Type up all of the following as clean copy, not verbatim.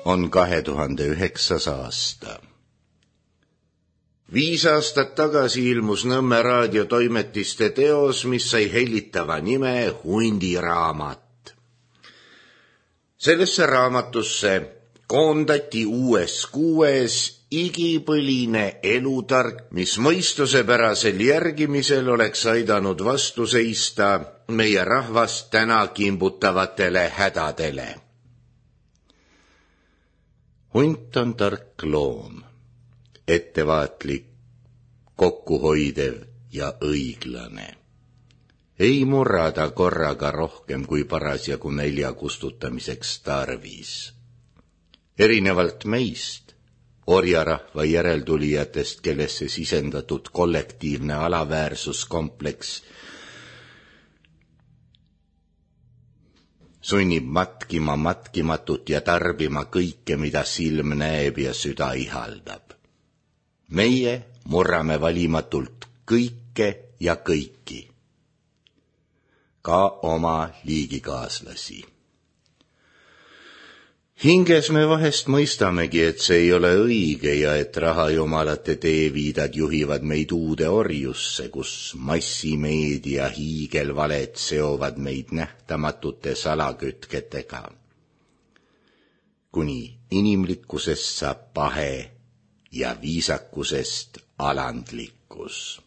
on 2009. aasta. 5 aastat tagasi ilmus Nõmme raadiotoimetiste teos, mis sai hellitava nime Hundiraamat. Sellesse raamatusse koondati uues kuues igipõline elutark, mis mõistusepärasel järgimisel oleks aidanud vastu seista meie rahvast täna kimbutavatele hädadele. Hunt on tark loom, ettevaatlik, kokkuhoidev ja õiglane. Ei murrada korraga rohkem kui parasjagu nälja kustutamiseks tarvis. Erinevalt meist, orjarahva järeltulijatest, kellesse sisendatud kollektiivne alaväärsuskompleks sunnib matkima matkimatut ja tarbima kõike, mida silm näeb ja süda ihaldab. Meie murrame valimatult kõike ja kõiki, ka oma liigikaaslasi. Hinges me vahest mõistamegi, et see ei ole õige ja et rahajumalate teeviidad juhivad meid uude orjusse, kus massimeedia hiigelvaled seovad meid nähtamatute salakütketega. Kuni inimlikkusest saab pahe ja viisakusest alandlikkus.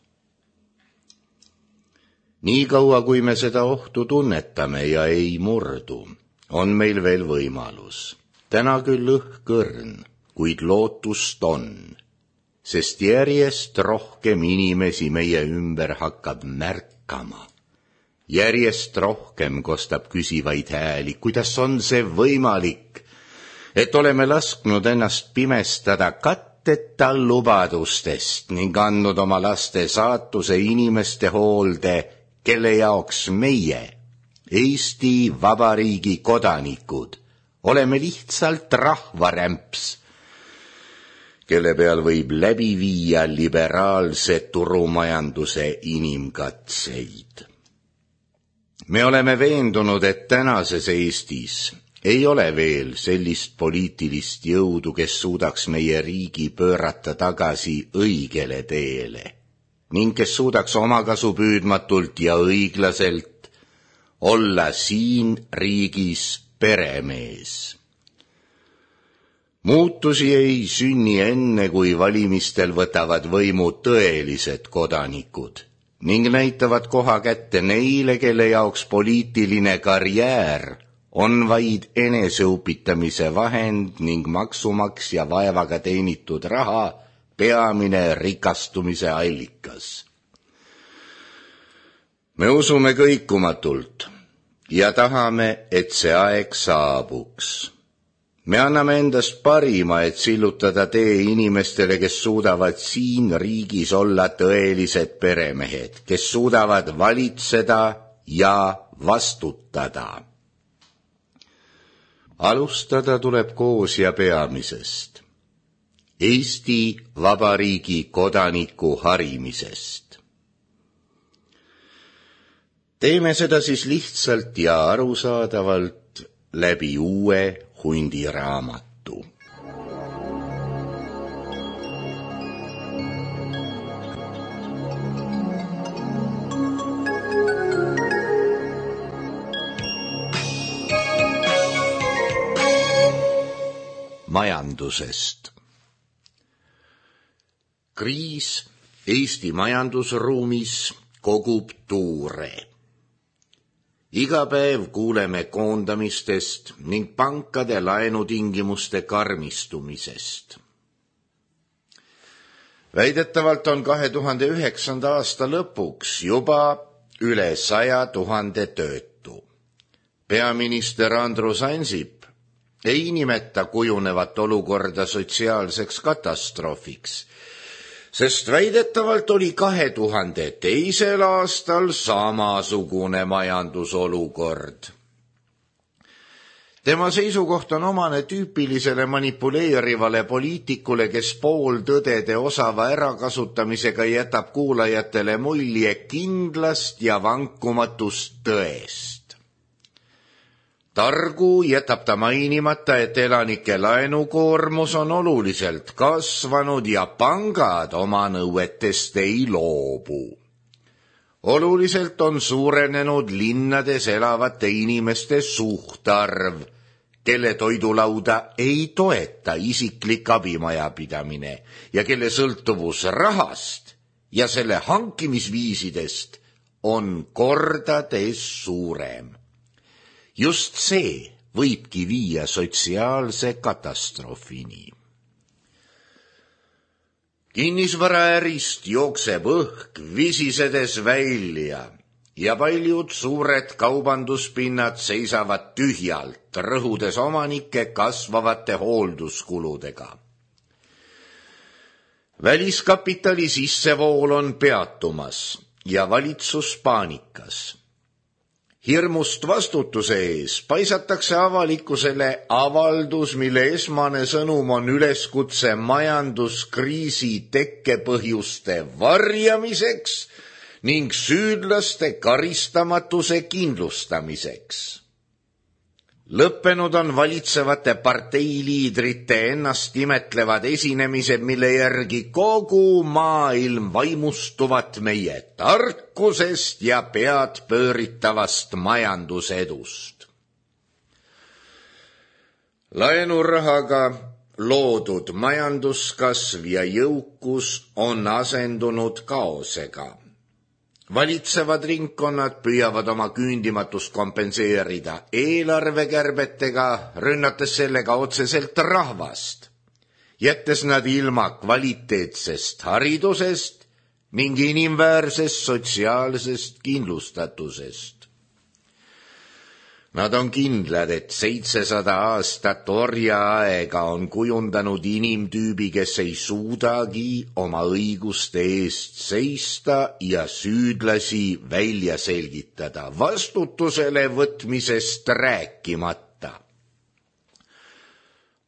Nii kaua, kui me seda ohtu tunnetame ja ei murdu, on meil veel võimalus. Täna küll õhkõrn, kuid lootust on, sest järjest rohkem inimesi meie ümber hakkab märkama. Järjest rohkem kostab küsivaid hääli, kuidas on see võimalik, et oleme lasknud ennast pimestada katteta lubadustest ning andnud oma laste saatuse inimeste hoolde, kelle jaoks meie, Eesti Vabariigi kodanikud, oleme lihtsalt rahvarämps, kelle peal võib läbi viia liberaalse turumajanduse inimkatseid. Me oleme veendunud, et tänases Eestis ei ole veel sellist poliitilist jõudu, kes suudaks meie riigi pöörata tagasi õigele teele ning kes suudaks omakasupüüdmatult ja õiglaselt olla siin riigis peremees. Muutusi ei sünni enne, kui valimistel võtavad võimu tõelised kodanikud ning näitavad koha kätte neile, kelle jaoks poliitiline karjäär on vaid eneseupitamise vahend ning maksumaksja vaevaga teenitud raha peamine rikastumise allikas. Me usume kõikumatult ja tahame, et see aeg saabuks. Me anname endast parima, et sillutada tee inimestele, kes suudavad siin riigis olla tõelised peremehed, kes suudavad valitseda ja vastutada. Alustada tuleb koos ja peamisest, Eesti Vabariigi kodaniku harimisest. Teeme seda siis lihtsalt ja arusaadavalt läbi uue Hundiraamatu. Majandusest. Kriis Eesti majandusruumis kogub tuure. Iga päev kuuleme koondamistest ning pankade laenutingimuste karmistumisest. Väidetavalt on 2009. aasta lõpuks juba üle 100 000 töötu. Peaminister Andrus Ansip ei nimeta kujunevat olukorda sotsiaalseks katastroofiks, sest väidetavalt oli 2002. aastal samasugune majandusolukord. Tema seisukoht on omane tüüpilisele manipuleerivale poliitikule, kes pooltõdede osava ärakasutamisega jätab kuulajatele mulje kindlast ja vankumatust tõest. Targu jätab ta mainimata, et elanike laenukoormus on oluliselt kasvanud ja pangad oma nõuetest ei loobu. Oluliselt on suurenenud linnades elavate inimeste suhtarv, kelle toidulauda ei toeta isiklik abimajapidamine ja kelle sõltuvus rahast ja selle hankimisviisidest on kordades suurem. Just see võibki viia sotsiaalse katastroofini. Kinnisvaraärist jookseb õhk visisedes välja ja paljud suured kaubanduspinnad seisavad tühjalt, rõhudes omanike kasvavate hoolduskuludega. Väliskapitali sissevool on peatumas ja valitsus paanikas. Hirmust vastutuse ees paisatakse avalikkusele avaldus, mille esmane sõnum on üleskutse majanduskriisi tekkepõhjuste varjamiseks ning süüdlaste karistamatuse kindlustamiseks. Lõppenud on valitsevate parteiliidrite ennast imetlevad esinemised, mille järgi kogu maailm vaimustuvat meie tarkusest ja pead pööritavast majandusedust. Laenurahaga loodud majanduskasv ja jõukus on asendunud kaosega. Valitsevad ringkonnad püüavad oma küündimatust kompenseerida eelarvekärbetega, rünnates sellega otseselt rahvast, jättes nad ilma kvaliteetsest haridusest ning inimväärsest sotsiaalsest kindlustatusest. Nad on kindlad, et 700 aastat orjaaega on kujundanud inimtüübi, kes ei suudagi oma õiguste eest seista ja süüdlasi välja selgitada, vastutusele võtmisest rääkimata.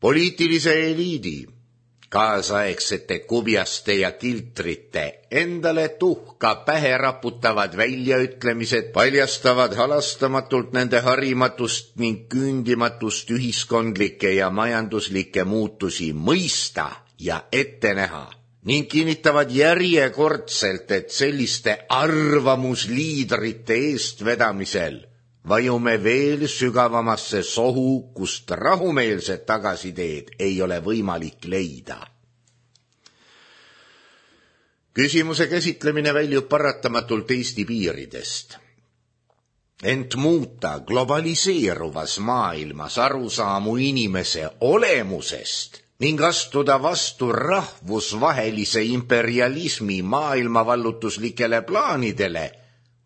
Poliitilise eliidi, kaasaegsete kubjaste ja kiltrite endale tuhka pähe raputavad väljaütlemised paljastavad halastamatult nende harimatust ning küündimatust ühiskondlikke ja majanduslikke muutusi mõista ja ette näha ning kinnitavad järjekordselt, et selliste arvamusliidrite eestvedamisel vajume veel sügavamasse sohu, kust rahumeelset tagasiteed ei ole võimalik leida. Küsimuse käsitlemine väljub paratamatult Eesti piiridest. Ent muuta globaliseeruvas maailmas arusaamu inimese olemusest ning astuda vastu rahvusvahelise imperialismi maailmavallutuslikele plaanidele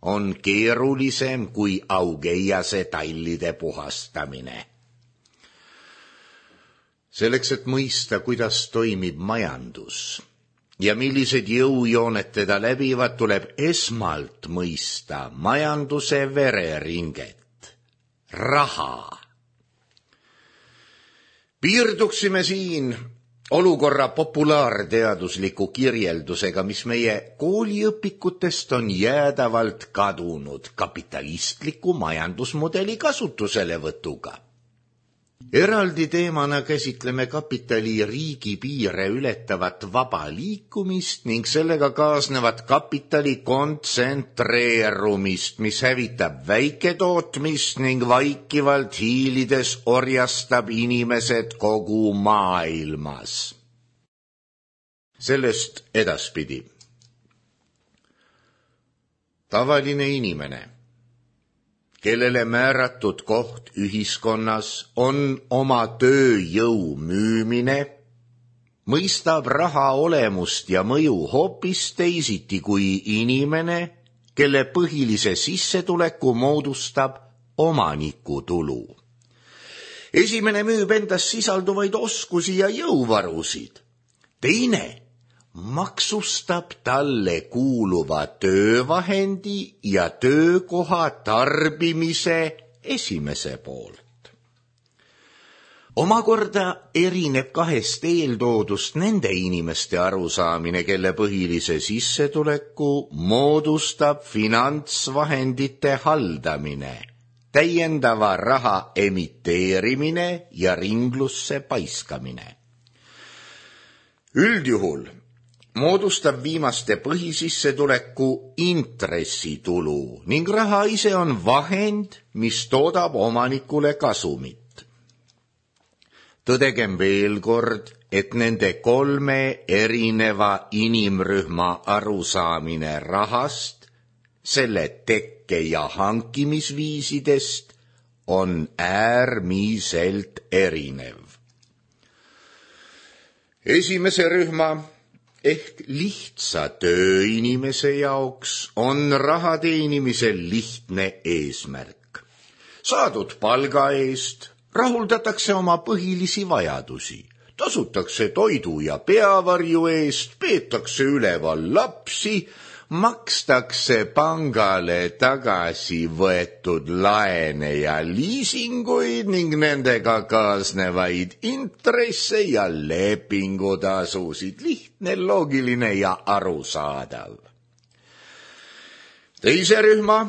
on keerulisem kui Augeiase tallide puhastamine. Selleks, et mõista, kuidas toimib majandus ja millised jõujooned teda läbivad, tuleb esmalt mõista majanduse vereringet, raha. Piirduksime siin olukorra populaarteadusliku kirjeldusega, mis meie kooliõpikutest on jäädavalt kadunud kapitalistliku majandusmudeli kasutuselevõtuga. Eraldi teemana käsitleme kapitali riigi piire ületavat vaba liikumist ning sellega kaasnevat kapitali kontsentreerumist, mis hävitab väiketootmist ning vaikivalt hiilides orjastab inimesed kogu maailmas. Sellest edaspidi. Tavaline inimene, kellele määratud koht ühiskonnas on oma tööjõu müümine, mõistab raha olemust ja mõju hoopis teisiti kui inimene, kelle põhilise sissetuleku moodustab omanikutulu. Esimene müüb endas sisalduvaid oskusi ja jõuvarusid. Teine maksustab talle kuuluva töövahendi ja töökoha tarbimise esimese poolt. Omakorda erineb kahest eeltoodust nende inimeste arusaamine, kelle põhilise sissetuleku moodustab finantsvahendite haldamine täiendava raha emiteerimine ja ringlusse paiskamine. Üldjuhul moodustab viimaste põhisissetuleku intressitulu ning raha ise on vahend, mis toodab omanikule kasumit. Tõdegem veel kord, et nende kolme erineva inimrühma arusaamine rahast, selle tekke- ja hankimisviisidest on äärmiselt erinev. Esimese rühma ehk lihtsa tööinimese jaoks on raha teenimisel lihtne eesmärk. Saadud palga eest rahuldatakse oma põhilisi vajadusi, tasutakse toidu ja peavarju eest, peetakse üleval lapsi, makstakse pangale tagasi võetud laene ja liisinguid ning nendega kaasnevaid intresse ja lepingutasusid. Lihtne, loogiline ja arusaadav. Teise rühma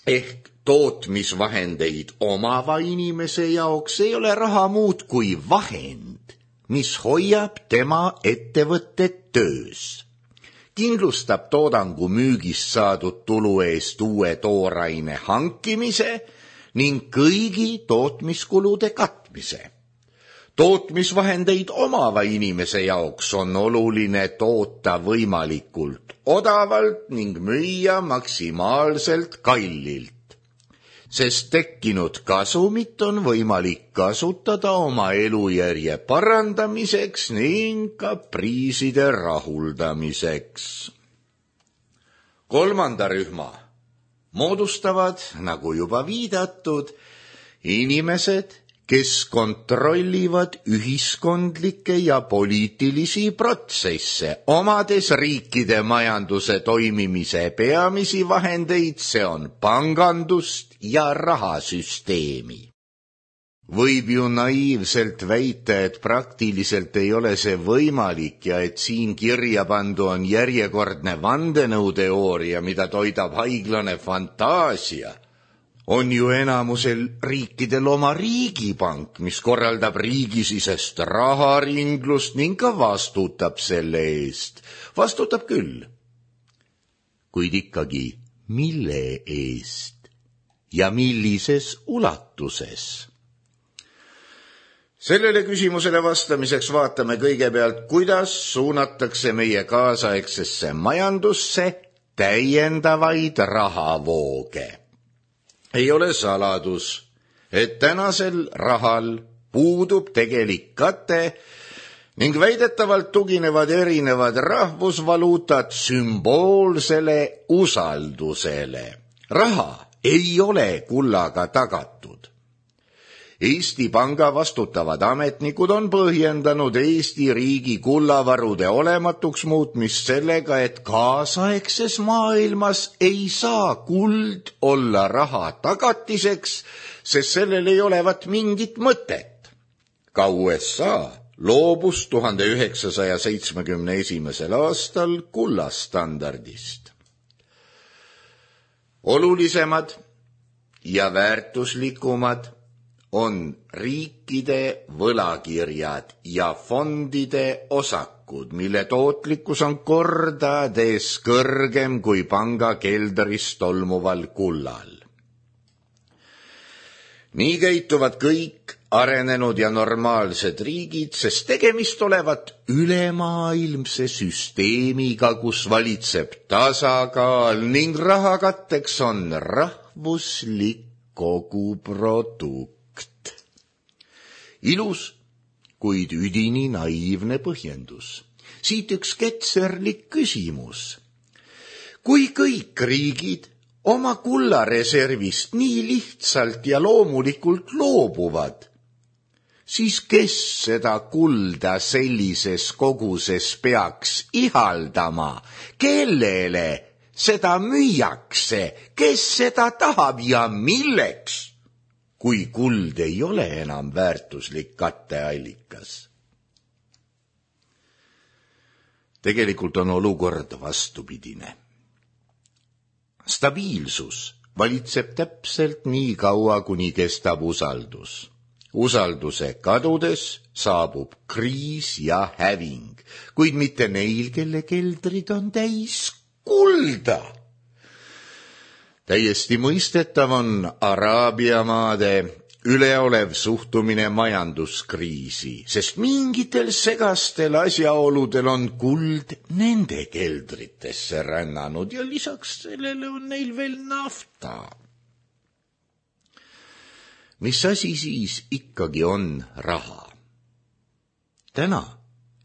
ehk tootmisvahendeid omava inimese jaoks ei ole raha muud kui vahend, mis hoiab tema ettevõtted töös. Kindlustab toodangu müügist saadud tulu eest uue tooraine hankimise ning kõigi tootmiskulude katmise. Tootmisvahendeid omava inimese jaoks on oluline toota võimalikult odavalt ning müüa maksimaalselt kallilt, sest tekkinud kasumit on võimalik kasutada oma elujärje parandamiseks ning kapriiside rahuldamiseks. Kolmanda rühma moodustavad, nagu juba viidatud, inimesed, kes kontrollivad ühiskondlikke ja poliitilisi protsesse, omades riikide majanduse toimimise peamisi vahendeid, see on pangandust ja rahasüsteemi. Võib ju naiivselt väita, et praktiliselt ei ole see võimalik ja et siin kirja pandu on järjekordne vandenõuteooria, mida toidab haiglane fantaasia. On ju enamusel riikidel oma riigipank, mis korraldab riigisisest raharinglust ning ka vastutab selle eest. Vastutab küll. Kuid ikkagi, mille eest ja millises ulatuses? Sellele küsimusele vastamiseks vaatame kõigepealt, kuidas suunatakse meie kaasaegsesse majandusse täiendavaid rahavooge. Ei ole saladus, et tänasel rahal puudub tegelik kate ning väidetavalt tuginevad erinevad rahvusvaluutad sümboolsele usaldusele. Raha ei ole kullaga tagatud. Eesti Panga vastutavad ametnikud on põhjendanud Eesti riigi kullavarude olematuks muutmist sellega, et kaasaegses maailmas ei saa kuld olla raha tagatiseks, sest sellel ei olevat mingit mõtet. Ka USA loobus 1971. aastal kullastandardist. Olulisemad ja väärtuslikumad on riikide võlakirjad ja fondide osakud, mille tootlikkus on kordades kõrgem kui panga keldris tolmuval kullal. Nii käituvad kõik arenenud ja normaalsed riigid, sest tegemist olevat ülemaailmse süsteemiga, kus valitseb tasakaal ning rahakatteks on rahvuslik koguprodukt. Ilus, kuid üdini naiivne põhjendus. Siit üks ketserlik küsimus. Kui kõik riigid oma kullareservist nii lihtsalt ja loomulikult loobuvad, siis kes seda kulda sellises koguses peaks ihaldama? Kellele seda müüakse? Kes seda tahab ja milleks? Kui kuld ei ole enam väärtuslik katteallikas. Tegelikult on olukord vastupidine. Stabiilsus valitseb täpselt nii kaua, kuni kestab usaldus. Usalduse kadudes saabub kriis ja häving, kuid mitte neil, kelle keldrid on täis kulda. Täiesti mõistetav on Araabia maade üleolev suhtumine majanduskriisi, sest mingitel segastel asjaoludel on kuld nende keldritesse rännanud ja lisaks sellele on neil veel nafta. Mis asi siis ikkagi on raha? Täna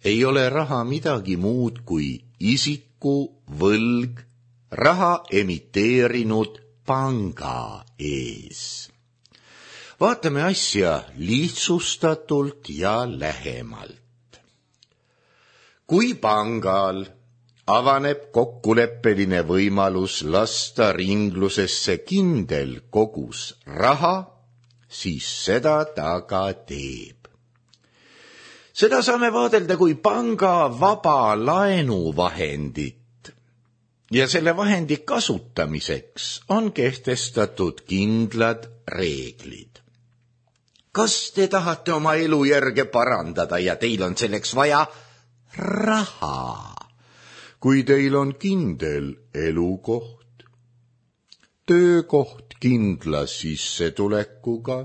ei ole raha midagi muud kui isiku võlg raha emiteerinud panga ees. Vaatame asja lihtsustatult ja lähemalt. Kui pangal avaneb kokkuleppeline võimalus lasta ringlusesse kindel kogus raha, siis seda ta ka teeb. Seda saame vaadelda kui panga vaba laenuvahendit ja selle vahendi kasutamiseks on kehtestatud kindlad reeglid. Kas te tahate oma elujärge parandada ja teil on selleks vaja raha? Kui teil on kindel elukoht, töökoht kindla sissetulekuga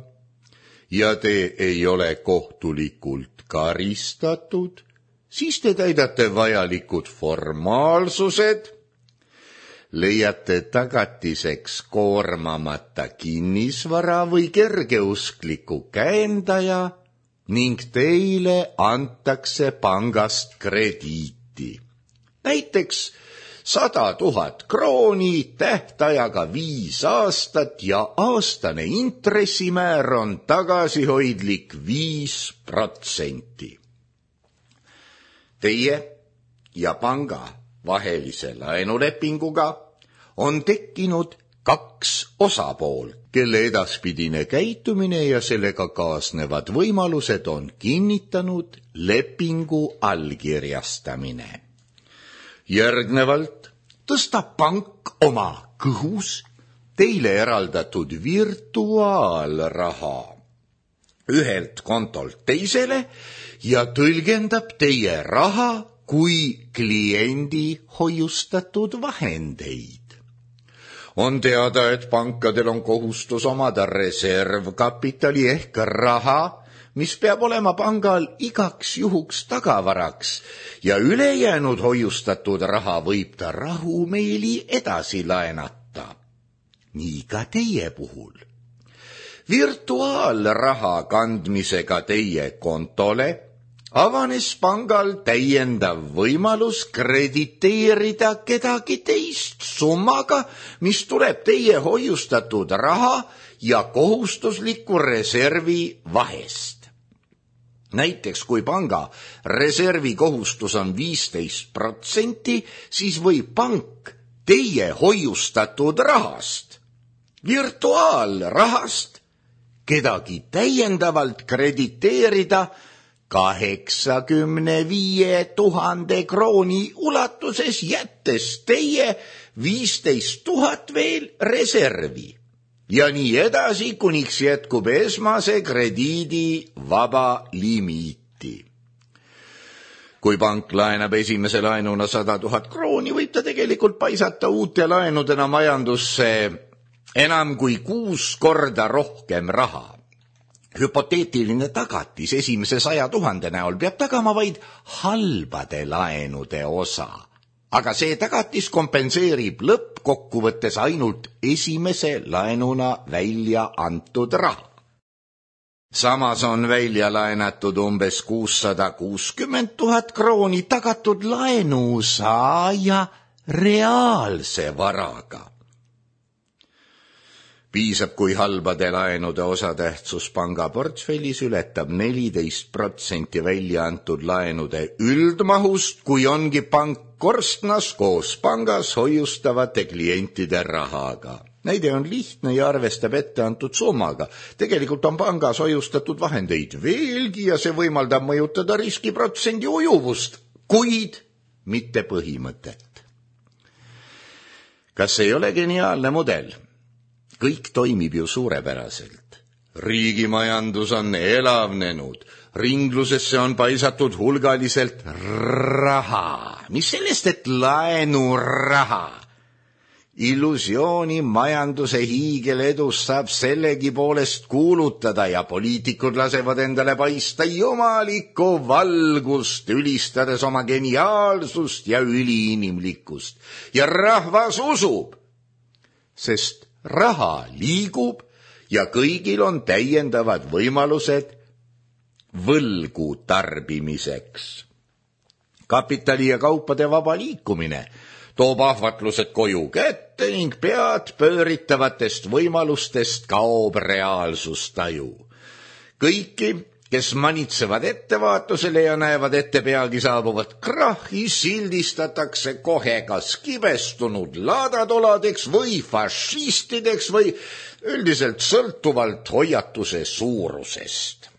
ja te ei ole kohtulikult karistatud, siis te täidate vajalikud formaalsused, leiate tagatiseks koormamata kinnisvara või kergeuskliku käendaja ning teile antakse pangast krediiti. Näiteks 100 000 krooni tähtajaga 5 aastat ja aastane intressimäär on tagasihoidlik 5%. Teie ja panga vahelise laenulepinguga on tekkinud 2 osapoolt, kelle edaspidine käitumine ja sellega kaasnevad võimalused on kinnitanud lepingu allkirjastamine. Järgnevalt tõstab pank oma kõhus teile eraldatud virtuaalraha ühelt kontolt teisele ja tõlgendab teie raha kui kliendi hoiustatud vahendeid. On teada, et pankadel on kohustus omada reservkapitali ehk raha, mis peab olema pangal igaks juhuks tagavaraks ja ülejäänud hoiustatud raha võib ta rahumeeli edasi laenata. Nii ka teie puhul. Virtuaalraha kandmisega teie kontole avanes pangal täiendav võimalus krediteerida kedagi teist summaga, mis tuleb teie hoiustatud raha ja kohustusliku reservi vahest. Näiteks kui panga reservi kohustus on 15%, siis võib pank teie hoiustatud rahast, virtuaalrahast, kedagi täiendavalt krediteerida 85 000 krooni ulatuses, jättes teie 15 000 veel reservi. Ja nii edasi, kuniks jätkub esmase krediidi vaba limiiti. Kui pank laenab esimese laenuna 100 000 krooni, võib ta tegelikult paisata uute laenudena majandusse enam kui 6 korda rohkem raha. Hüpoteetiline tagatis esimese 100 000 näol peab tagama vaid halbade laenude osa. Aga see tagatis kompenseerib lõppkokkuvõttes ainult esimese laenuna välja antud raha. Samas on välja laenatud umbes 660 000 krooni tagatud laenusaaja reaalse varaga. Piisab, kui halbade laenude osatähtsus panga portfellis ületab 14% välja antud laenude üldmahust, kui ongi pank korstnas koos pangas hoiustavate klientide rahaga. Näide on lihtne ja arvestab ette antud summaga. Tegelikult on pangas hoiustatud vahendeid veelgi ja see võimaldab mõjutada riskiprotsendi ujuvust, kuid mitte põhimõtet. Kas ei ole geniaalne mudel? kõik toimib ju suurepäraselt. Riigimajandus on elavnenud, ringlusesse on paisatud hulgaliselt raha. Mis sellest, et laenuraha? Illusiooni majanduse hiigeledust saab sellegipoolest kuulutada ja poliitikud lasevad endale paista jumalikku valgust, ülistades oma geniaalsust ja üliinimlikkust. Ja rahvas usub, sest raha liigub ja kõigil on täiendavad võimalused võlgu tarbimiseks. Kapitali ja kaupade vaba liikumine toob ahvatlused koju kätte ning pead pööritavatest võimalustest kaob reaalsustaju. Kõiki, kes manitsevad ettevaatusele ja näevad ette peagi saabuvat krahhi, sildistatakse kohe kas kibestunud laadatoladeks või fašistideks või üldiselt sõltuvalt hoiatuse suurusest.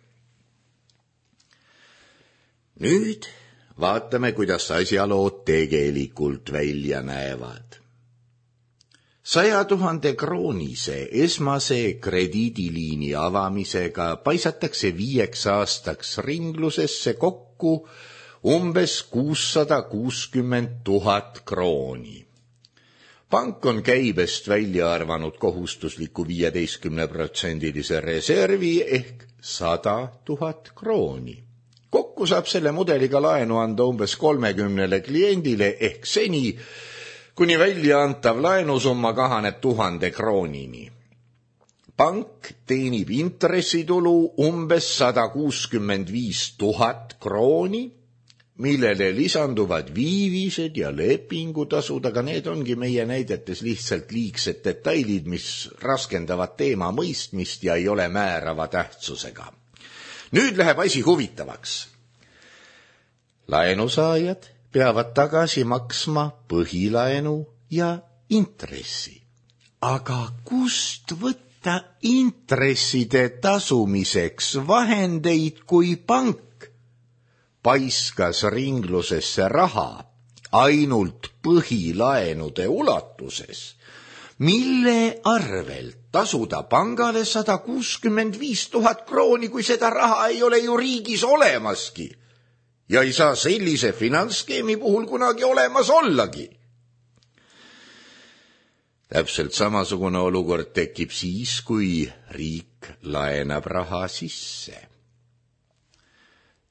Nüüd vaatame, kuidas asjalood tegelikult välja näevad. 100 000 kroonise esmase krediidiliini avamisega paisatakse 5 aastaks ringlusesse kokku umbes 660 000 krooni. Pank on käibest välja arvanud kohustusliku 15% reservi ehk 100 000 krooni. Kokku saab selle mudeliga laenu anda umbes 30 kliendile ehk seni, kuni välja antav laenusumma kahaneb 1000 kroonini. Pank teenib intressitulu umbes 165 000 krooni, millele lisanduvad viivised ja lepingutasud, aga need ongi meie näidetes lihtsalt liigsed detailid, mis raskendavad teema mõistmist ja ei ole määrava tähtsusega. Nüüd läheb asi huvitavaks. Laenusaajad peavad tagasi maksma põhilaenu ja intressi. Aga kust võtta intresside tasumiseks vahendeid, kui pank paiskas ringlusesse raha ainult põhilaenude ulatuses, mille arvelt tasuda pangale 165 000 krooni, kui seda raha ei ole ju riigis olemaski ja ei saa sellise finantsskeemi puhul kunagi olemas ollagi. Täpselt samasugune olukord tekib siis, kui riik laenab raha sisse.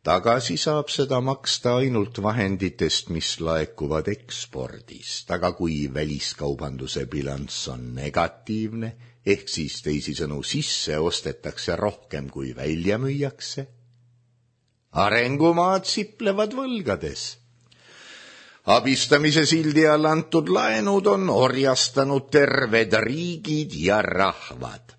Tagasi saab seda maksta ainult vahenditest, mis laekuvad ekspordist, aga kui väliskaubanduse bilanss on negatiivne, ehk siis teisisõnu sisse ostetakse rohkem kui välja müüakse, arengumaad siplevad võlgades. Abistamise sildi all antud laenud on orjastanud terved riigid ja rahvad.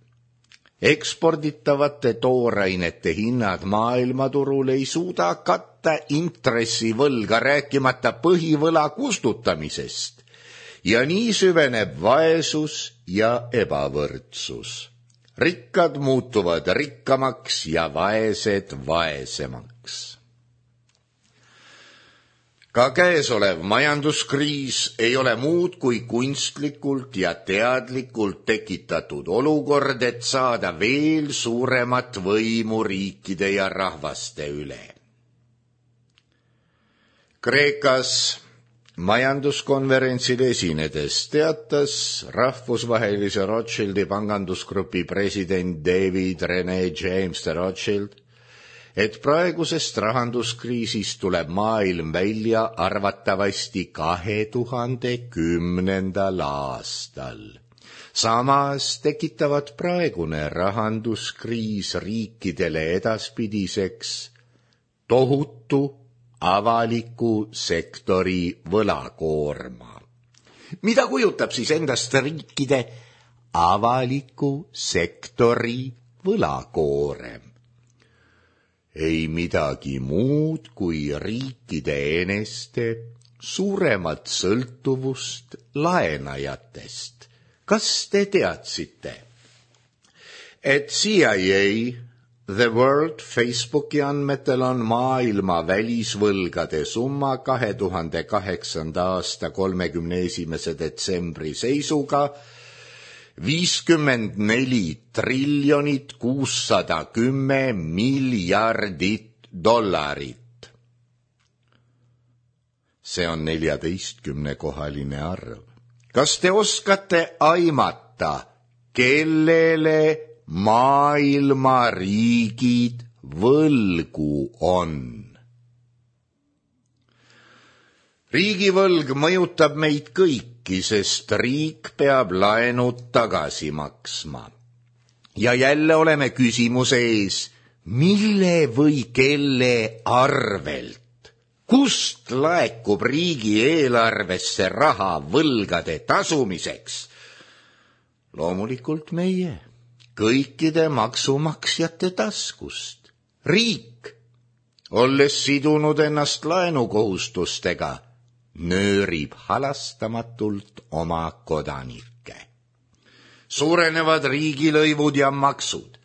Eksporditavate toorainete hinnad maailmaturul ei suuda katta intressivõlga, rääkimata põhivõla kustutamisest. Ja nii süveneb vaesus ja ebavõrdsus. Rikkad muutuvad rikkamaks ja vaesed vaesemaks. Ka käesolev majanduskriis ei ole muud kui kunstlikult ja teadlikult tekitatud olukord, et saada veel suuremat võimu riikide ja rahvaste üle. Kreekas majanduskonverentsil esinedes teatas rahvusvahelise Rothschildi pangandusgrupi president David René James de Rothschild, et praegusest rahanduskriisist tuleb maailm välja arvatavasti 2010. aastal. Samas tekitavad praegune rahanduskriis riikidele edaspidiseks tohutu avaliku sektori võlakoorma. Mida kujutab siis endast riikide avaliku sektori võlakoorem? Ei midagi muud kui riikide eneste suuremat sõltuvust laenajatest. Kas te teadsite, et CIA, The World Facebooki andmetel on maailma välisvõlgade summa 2008. aasta 31. detsembri seisuga 54 triljonit 610 miljardit dollarit. See on 14-kohaline arv. Kas te oskate aimata, kellele maailma riigid võlgu on? Riigivõlg mõjutab meid kõiki, sest riik peab laenud tagasi maksma. Ja jälle oleme küsimuse ees, mille või kelle arvelt? Kust laekub riigieelarvesse raha võlgade tasumiseks? Loomulikult meie, kõikide maksumaksjate taskust. Riik, olles sidunud ennast laenukohustustega, nöörib halastamatult oma kodanikke. Suurenevad riigilõivud ja maksud.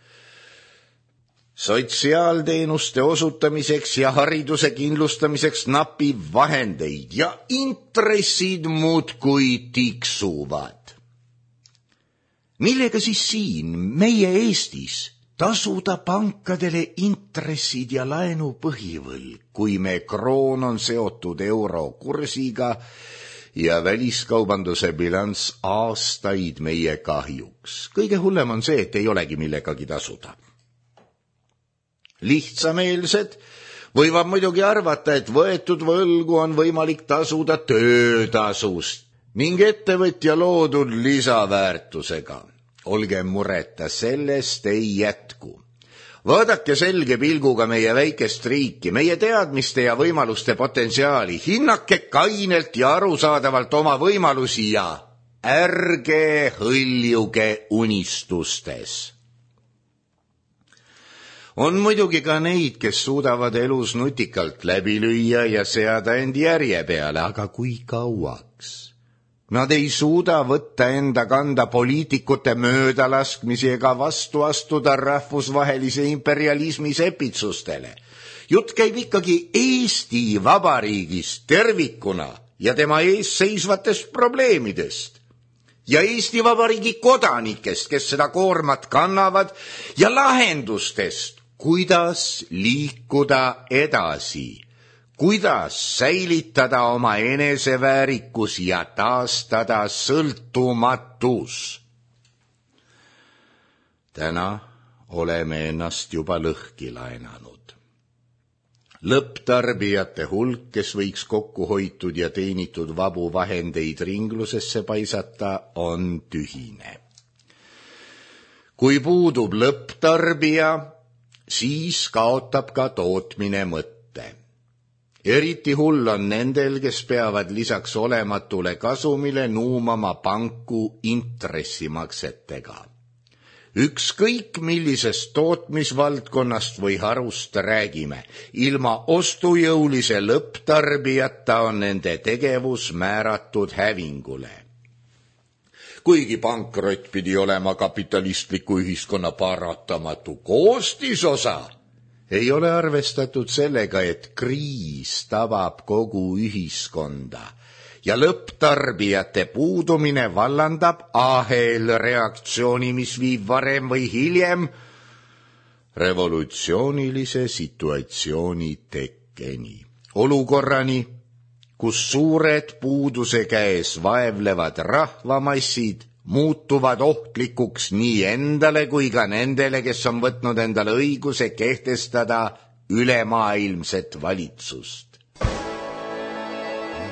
Sotsiaalteenuste osutamiseks ja hariduse kindlustamiseks napib vahendeid ja intressid muudkui tiksuvad. Millega siis siin, meie Eestis, tasuda pankadele intressid ja laenu põhivõlg, kui me kroon on seotud eurokursiga ja väliskaubanduse bilanss aastaid meie kahjuks. Kõige hullem on see, et ei olegi millegagi tasuda. Lihtsameelsed võivad muidugi arvata, et võetud võlgu on võimalik tasuda töötasust ning ettevõtja loodud lisaväärtusega. Olge mureta, sellest ei jätku. Vaadake selge pilguga meie väikest riiki, meie teadmiste ja võimaluste potentsiaali, hinnake kainelt ja arusaadavalt oma võimalusi ja ärge hõljuge unistustes. On muidugi ka neid, kes suudavad elus nutikalt läbi lüüa ja seada end järje peale, aga kui kauaks? Nad ei suuda võtta enda kanda poliitikute möödalaskmisi ega vastu astuda rahvusvahelise imperialismi sepitsustele. Jutt käib ikkagi Eesti Vabariigist tervikuna ja tema ees seisvatest probleemidest. Ja Eesti Vabariigi kodanikest, kes seda koormat kannavad, ja lahendustest, kuidas liikuda edasi. Kuidas säilitada oma eneseväärikus ja taastada sõltumatus? Täna oleme ennast juba lõhki laenanud. Lõpptarbijate hulk, kes võiks kokku hoitud ja teenitud vabu vahendeid ringlusesse paisata, on tühine. Kui puudub lõpptarbija, siis kaotab ka tootmine mõtte. Eriti hull on nendel, kes peavad lisaks olematule kasumile nuumama panku intressimaksetega. Ükskõik millisest tootmisvaldkonnast või harust räägime, ilma ostujõulise lõpptarbijata on nende tegevus määratud hävingule. Kuigi pankrot pidi olema kapitalistliku ühiskonna paratamatu koostisosa, ei ole arvestatud sellega, et kriis tabab kogu ühiskonda ja lõpptarbijate puudumine vallandab ahelreaktsiooni, mis viib varem või hiljem revolutsioonilise situatsiooni tekkeni. Olukorrani, kus suured puuduse käes vaevlevad rahvamassid muutuvad ohtlikuks nii endale kui ka nendele, kes on võtnud endale õiguse kehtestada ülemaailmset valitsust.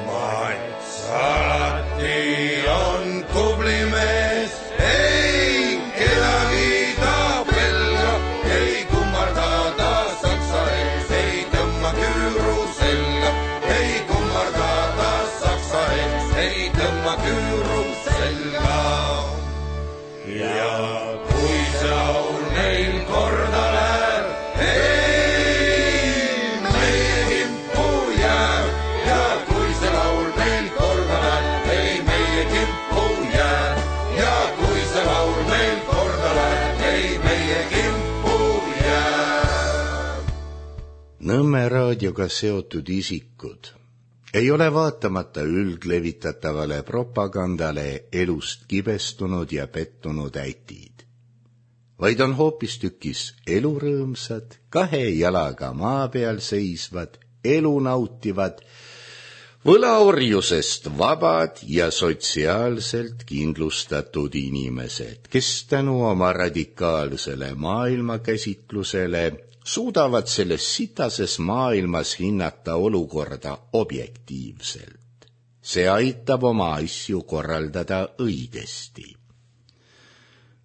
Mats alati on tubli mees, ei kedagi ta pelga, ei kummarda ta saksa ees, ei tõmba küüru selga, ei kummarda ta saksa ees, ei tõmba küüru selga. Ja kui see laul neil korda läheb, ei meie kimpu jääb. Ja kui see laul neil korda läheb, ei meie kimpu jääb. Ja kui see laul neil korda läheb, ei meie kimpu jääb. Nõmme raadioga seotud isikud ei ole vaatamata üldlevitatavale propagandale elust kibestunud ja pettunud ätid, vaid on hoopistükkis elurõõmsad, kahe jalaga maa peal seisvad, elu nautivad, võlaorjusest vabad ja sotsiaalselt kindlustatud inimesed, kes tänu oma radikaalsele maailmakäsitlusele suudavad selles sitases maailmas hinnata olukorda objektiivselt. See aitab oma asju korraldada õigesti,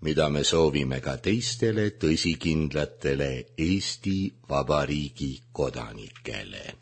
mida me soovime ka teistele tõsikindlatele Eesti Vabariigi kodanikele.